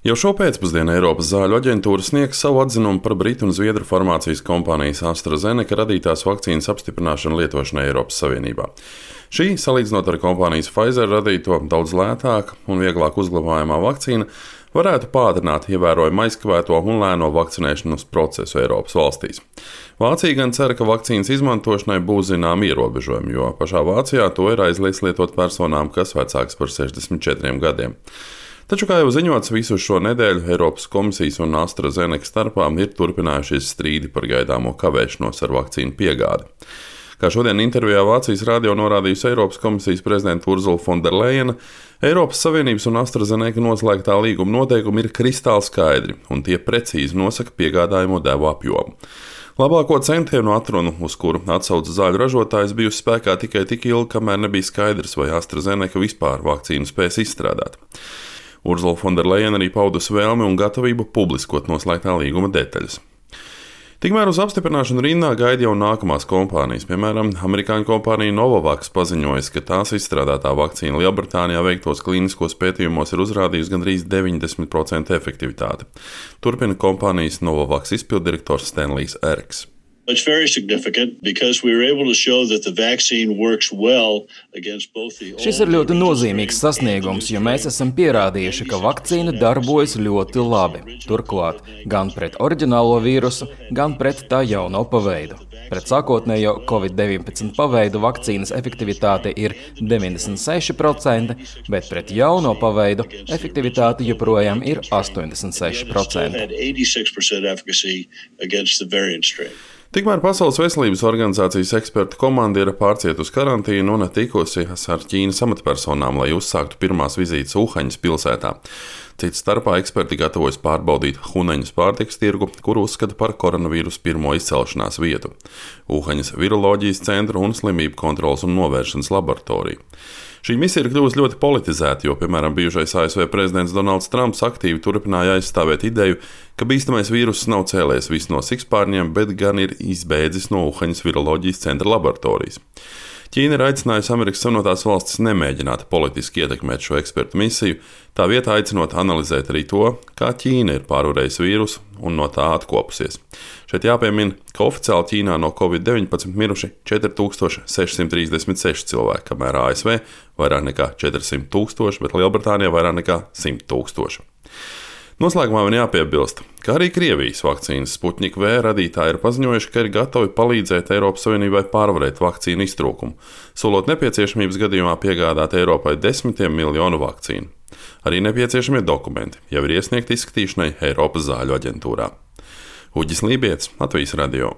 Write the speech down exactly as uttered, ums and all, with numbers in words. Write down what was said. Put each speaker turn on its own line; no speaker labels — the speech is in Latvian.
Jau šo pēcpusdienu Eiropas zāļu aģentūra sniegs savu atzinumu par britu un zviedru farmācijas kompānijas AstraZeneca radītās vakcīnas apstiprināšanu lietošanai Eiropas Savienībā. Šī, salīdzinot ar kompānijas Pfizer radīto daudz lētāka un vieglāk uzglabājamā vakcīna, varētu pātrināt ievērojami aizkavēto un lēno vakcinēšanas procesu Eiropas valstīs. Vācija gan cer, ka vakcīnas izmantošanai būs zināmi ierobežojumi, jo pašā Vācijā to ir aizliegts lietot personām, kas vecākas par sešdesmit četriem gadiem. Taču, kā jau ziņots, visu šo nedēļu Eiropas komisijas un AstraZeneca starpā ir turpinājušies strīdi par gaidāmo kavēšanos ar vakcīnu piegādi. Kā šodien intervijā Vācijas radio norādījusi Eiropas komisijas prezidenta Ursula von der Leyena, Eiropas Savienības un AstraZeneca noslēgtā līguma noteikumi ir kristāli skaidri, un tie precīzi nosaka piegādājumu devu apjomu. Labāko centienu atrunu, uz kuru atsauca zāļu ražotājs, bijusi spēkā tikai tik ilgi, kamēr nebija skaidrs, vai AstraZeneca vispār vakcīnu spēs izstrādāt. Ursula von der Leyena arī paudusi vēlmi un gatavību publiskot noslēgtā līguma detaļas. Tikmēr uz apstiprināšanu rindā gaida jau nākamās kompānijas. Piemēram, amerikāņu kompānija Novavax paziņojas, ka tās izstrādātā vakcīna Lielbritānijā veiktos klīniskos pētījumos ir uzrādījusi gandrīz deviņdesmit procentu efektivitāti. Turpina kompānijas Novavax izpilddirektors Stanlijs Erks.
It's very significant because we were able to show that the vaccine works well against both the
Šis ir ļoti nozīmīgs sasniegums, jo mēs esam pierādījuši, ka vakcīna darbojas ļoti labi. Turklāt gan pret oriģinālo vīrusu, gan pret tā jauno paveidu. Pret sākotnējo covid deviņpadsmit paveidu vakcīnas efektivitāte ir deviņdesmit seši procenti, bet pret jauno paveidu efektivitāte joprojām ir astoņdesmit seši procenti.
Tikmēr Pasaules veselības organizācijas ekspertu komanda ir pārcietusi karantīnu un tikusies ar Ķīnas amatpersonām, lai uzsāktu pirmās vizītes Uhaņas pilsētā. Cits starpā eksperti gatavojas pārbaudīt Hunaņas pārtikas tirgu, kuru uzskata par koronavīrusu pirmo izcelšanās vietu, Uhaņas viroloģijas centru un slimību kontrolas un novēršanas laboratoriju. Šī misija ir kļuvusi ļoti politizēta, jo, piemēram, bijušais A S V prezidents Donalds Trumps aktīvi turpināja aizstāvēt ideju, ka bīstamais vīruss nav cēlies vis no sikspārņiem, bet gan ir izbēdzis no Uhaņas viroloģijas centra laboratorijas. Ķīna ir aicinājusi Amerikas Savienotās valstis nemēģināt politiski ietekmēt šo ekspertu misiju, tā vietā aicinot analizēt arī to, kā Ķīna ir pārvarējusi vīrusu un no tā atkopusies. Šeit jāpiemina, ka oficiāli Ķīnā no covid deviņpadsmit miruši četri tūkstoši sešsimt trīsdesmit seši cilvēki, kamēr A S V vairāk nekā četrsimt tūkstoši, bet Lielbritānijā vairāk nekā simt tūkstoši. Noslēgumā vien jāpiebilst, ka arī Krievijas vakcīnas Sputnik V radītāji ir paziņojuši, ka ir gatavi palīdzēt Eiropas Savienībai pārvarēt vakcīnu iztrūkumu, solot nepieciešamības gadījumā piegādāt Eiropai desmitiem miljonu vakcīnu. Arī nepieciešamie dokumenti jau ir iesniegti izskatīšanai Eiropas zāļu aģentūrā. Uģis Lībietis, Latvijas radio.